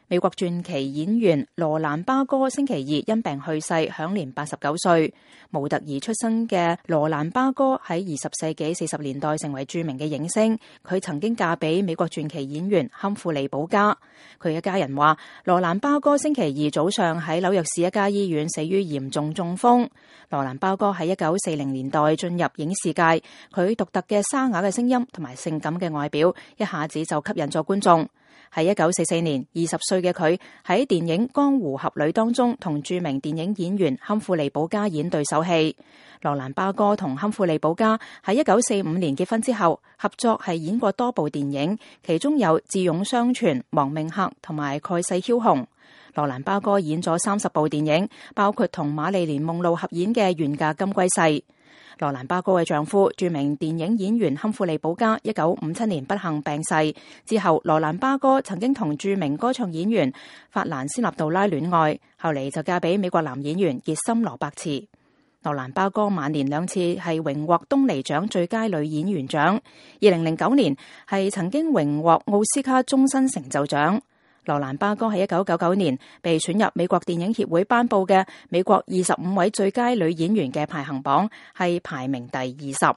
美國傳奇演員羅蘭巴哥星期二因病去世，享年89歲。模特兒出身嘅羅蘭巴哥喺20世紀40年代成為著名嘅影星。佢曾經嫁俾美國傳奇演員坎富利保加。佢嘅家人話，羅蘭巴哥星期二早上喺紐約市一家醫院死於嚴重中風。羅蘭巴哥喺1940年代進入影視界，佢獨特嘅沙啞嘅聲音同埋性感嘅外表，一下子就吸引咗觀眾。喺1944年，20歲嘅佢喺電影《江湖俠侶》當中同著名電影演員坎富利保加演對手戲。羅蘭巴哥同坎富利保加喺1945年結婚之後，合作係演過多部電影，其中有《智勇雙全》、《亡命客》同埋《蓋世梟雄》。羅蘭巴哥演咗30部電影，包括同瑪麗蓮夢露合演嘅《願嫁金龜婿》。羅蘭巴哥嘅丈夫著名電影演員坎富利保加1957年不幸病逝之後，羅蘭巴哥曾經同著名歌唱演員法蘭斯納杜拉戀愛，後嚟就嫁俾美國男演員傑森羅伯茨。羅蘭巴哥晚年2次係榮獲東尼獎最佳女演員獎，2009年係曾經榮獲奧斯卡終身成就獎。羅蘭巴哥喺1999年被選入美國電影協會頒布嘅美國25位最佳女演員嘅排行榜，係排名第20。